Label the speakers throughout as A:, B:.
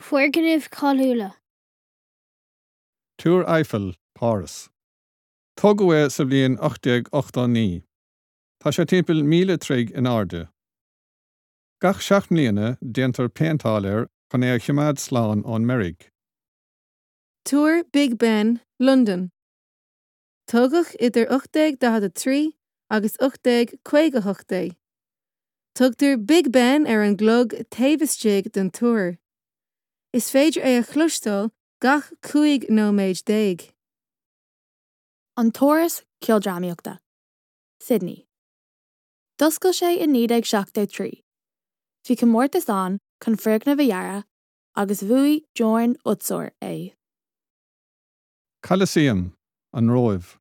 A: Foirgnimh cháiliúla.
B: Túr Eiffel, Páras. Tógadh é sa bhliain 1889. Tá sé timpeall 1,000 troigh in airde. Gach 7 mbliana déantar péinteáil air chun é a choimeád slán ón meirg.
C: Túr Big Ben, Londain. Tógadh idir 1843 agus 1858 é. Tugtar Big Ben ar an gclog taobh istigh den túr. Is féidir é a chloisteáil gach 15 nóiméad.
D: An tÁras Ceoldrámaíochta, Sydney. D'oscail sé i 1973. Bhí comórtas ann chun foirgneamh a dhearadh agus bhuaigh Jorn Utzon é.
B: Coliseum, An Róimh.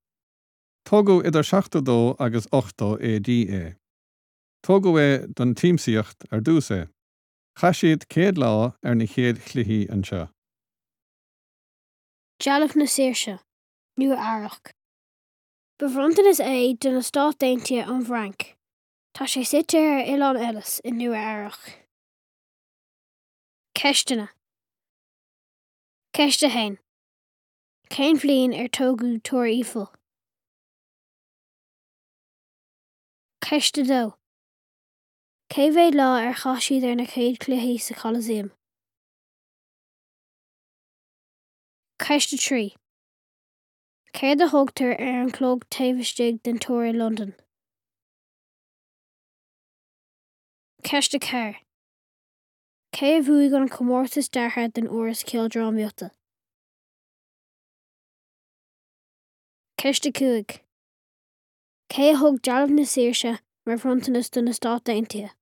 B: Tógadh idir 72 agus 80 AD é. Tógadh é don tsiamsaíocht ar dtús é. Chaith siad 100 lá ar na chéad chluichí anseo.
A: Dealbh na Saoirse, Nua Eabhrac. Ba bhronntanas é do na Stáit Aontaithe ón bhFrainc. Tá sé suite ar Oileán Ellis i Nua Eabhrac. Ceisteanna. Ceist 1. Cén bhliain ar tógadh Túr Eiffel? Ceist 2. Cé mhéad lá ar chaith siad ar na chéad chluichí sa Coliseum? Ceist 3. Céard a thugtar ar an chlog taobh istigh den túr i Londain? Ceist 4. Cé a bhuaigh an comórtas deartha don Áras Ceoldrámaíochta? Ceist 5. Cé a thug Dealbh na Saoirse mar bhronntanas do na Stáit Aontaithe?